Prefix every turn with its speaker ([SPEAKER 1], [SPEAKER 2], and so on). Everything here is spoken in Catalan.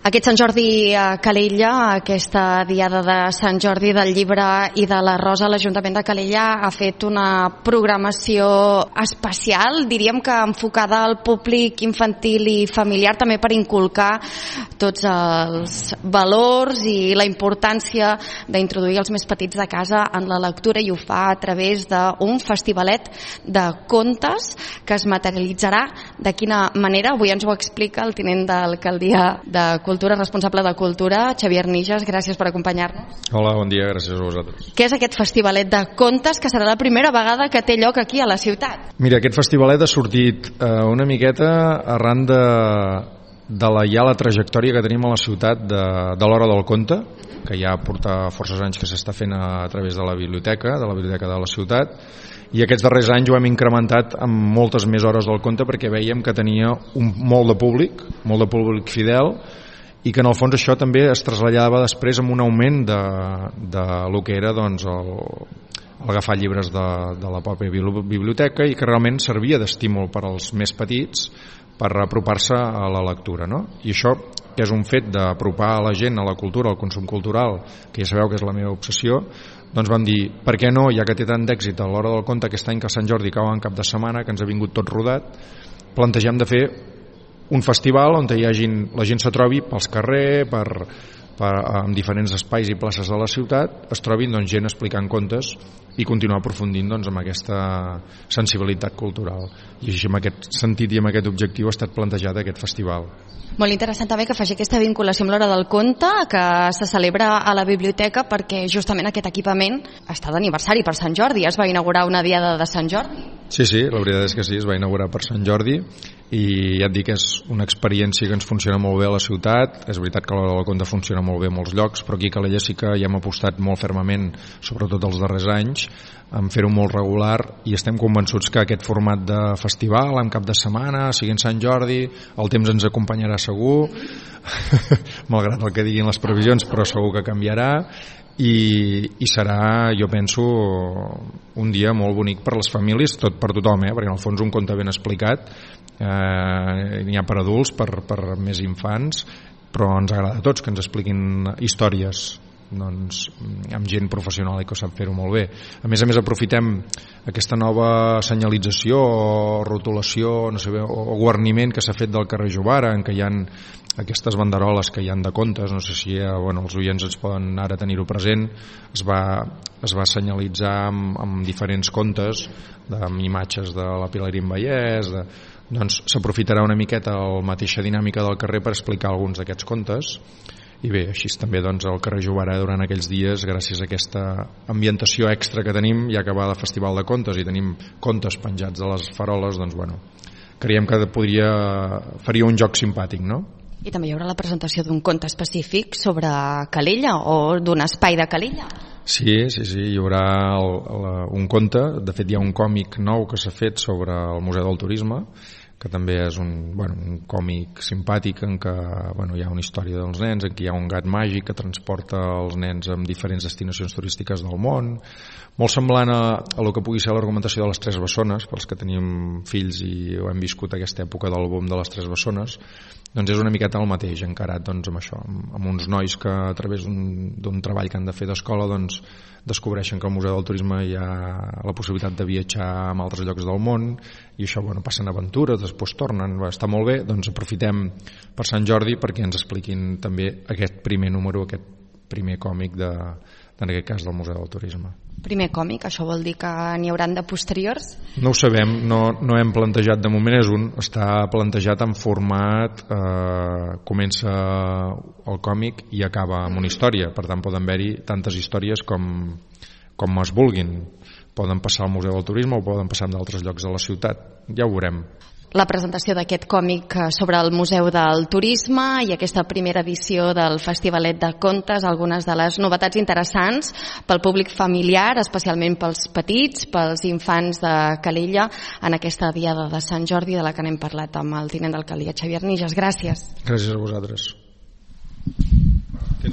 [SPEAKER 1] Aquest Sant Jordi a Calella, aquesta diada de Sant Jordi del llibre i de la rosa, l'Ajuntament de Calella ha fet una programació especial, diríem que enfocada al públic infantil i familiar, també per inculcar tots els valors i la importància d'introduir els més petits de casa en la lectura, i ho fa a través d'un festivalet de contes que es materialitzarà. De quina manera? Avui ens ho explica el tinent d'alcaldia de Cultura, responsable de Cultura, Xavier Nijas. Gràcies per acompanyar-nos.
[SPEAKER 2] Hola, bon dia, gràcies a vosaltres.
[SPEAKER 1] Què és aquest festivalet de contes que serà la primera vegada que té lloc aquí a la ciutat?
[SPEAKER 2] Mira, aquest festivalet ha sortit una miqueta arran de la trajectòria que tenim a la ciutat de l'Hora del Conte, que ja porta forces anys que s'està fent a través de la biblioteca de la ciutat, i aquests darrers anys ho hem incrementat amb moltes més hores del conte perquè veiem que tenia molt de públic fidel, i que en el fons això també es traslladava després amb un augment de lo que era doncs, agafar llibres de la pròpia biblioteca, i que realment servia d'estímul per als més petits per apropar-se a la lectura, no? I això, que és un fet d'apropar a la gent a la cultura, al consum cultural, que ja sabeu que és la meva obsessió, doncs vam dir, per què no, ja que té tant d'èxit a l'Hora del Conte aquest any que Sant Jordi cau en cap de setmana, que ens ha vingut tot rodat, plantegem de fer un festival on la gent se trobi pels carrers, en diferents espais i places de la ciutat, es trobin doncs, gent explicant contes i continuar aprofundint doncs, amb aquesta sensibilitat cultural. I així, en aquest sentit i amb aquest objectiu, ha estat plantejat aquest festival.
[SPEAKER 1] Molt interessant també que faci aquesta vinculació amb l'Hora del Conte, que se celebra a la biblioteca, perquè justament aquest equipament està d'aniversari per Sant Jordi. Es va inaugurar una diada de Sant Jordi.
[SPEAKER 2] Sí, la veritat és que sí, es va inaugurar per Sant Jordi, i ja et dic que és una experiència que ens funciona molt bé a la ciutat. És veritat que l'Hora del Conte funciona molt bé a molts llocs, però aquí a Calella sí que ja hem apostat molt fermament, sobretot els darrers anys, en fer-ho molt regular, i estem convençuts que aquest format de festival, en cap de setmana, sigui en Sant Jordi, el temps ens acompanyarà segur, malgrat el que diguin les previsions, però segur que canviarà, i serà, jo penso, un dia molt bonic per les famílies, per tothom, perquè en el fons un conte ben explicat n'hi ha per adults, per més infants, però ens agrada a tots que ens expliquin històries doncs, amb gent professional i que sap fer-ho molt bé. A més aprofitem aquesta nova senyalització o rotulació, no sé, o guarniment que s'ha fet del carrer Jovara, en què hi ha aquestes banderoles que hi ha de contes, no sé si els oients ens poden ara tenir-ho present. Es va senyalitzar amb diferents contes, amb imatges de la Pilarín Vallès, doncs s'aprofitarà una miqueta la mateixa dinàmica del carrer per explicar alguns d'aquests contes. I bé, així també doncs, el carrer Jovara durant aquells dies, gràcies a aquesta ambientació extra que tenim, ja que va de Festival de Contes i tenim contes penjats de les faroles, doncs creiem que faria un joc simpàtic, no?
[SPEAKER 1] I també hi haurà la presentació d'un conte específic sobre Calella o d'un espai de Calella.
[SPEAKER 2] Sí, hi haurà un conte, de fet hi ha un còmic nou que s'ha fet sobre el Museu del Turisme, que també és un còmic simpàtic en què hi ha una història dels nens, en què hi ha un gat màgic que transporta els nens a diferents destinacions turístiques del món, molt semblant a el que pugui ser l'argumentació de les Tres Bessones, pels que tenim fills i hem viscut aquesta època del boom de les Tres Bessones. Doncs és una miqueta el mateix, encarat amb això, amb uns nois que a través d'un treball que han de fer d'escola descobreixen que al Museu del Turisme hi ha la possibilitat de viatjar a altres llocs del món, i això passen aventures, després tornen, està molt bé. Doncs aprofitem per Sant Jordi perquè ens expliquin també aquest primer número, aquest primer còmic en aquest cas del Museu del Turisme.
[SPEAKER 1] Primer còmic, això vol dir que n'hi hauran de posteriors?
[SPEAKER 2] No ho sabem, no hem plantejat de moment, està plantejat en format comença el còmic i acaba amb una història, per tant poden haver-hi tantes històries com es vulguin. Poden passar al Museu del Turisme o poden passar en d'altres llocs de la ciutat, ja ho veurem.
[SPEAKER 1] La presentació d'aquest còmic sobre el Museu del Turisme i aquesta primera edició del Festivalet de Contes, algunes de les novetats interessants pel públic familiar, especialment pels petits, pels infants de Calella, en aquesta diada de Sant Jordi de la que n'hem parlat amb el tinent d'alcaldia, Xavier Nijas. Gràcies.
[SPEAKER 2] Gràcies a vosaltres.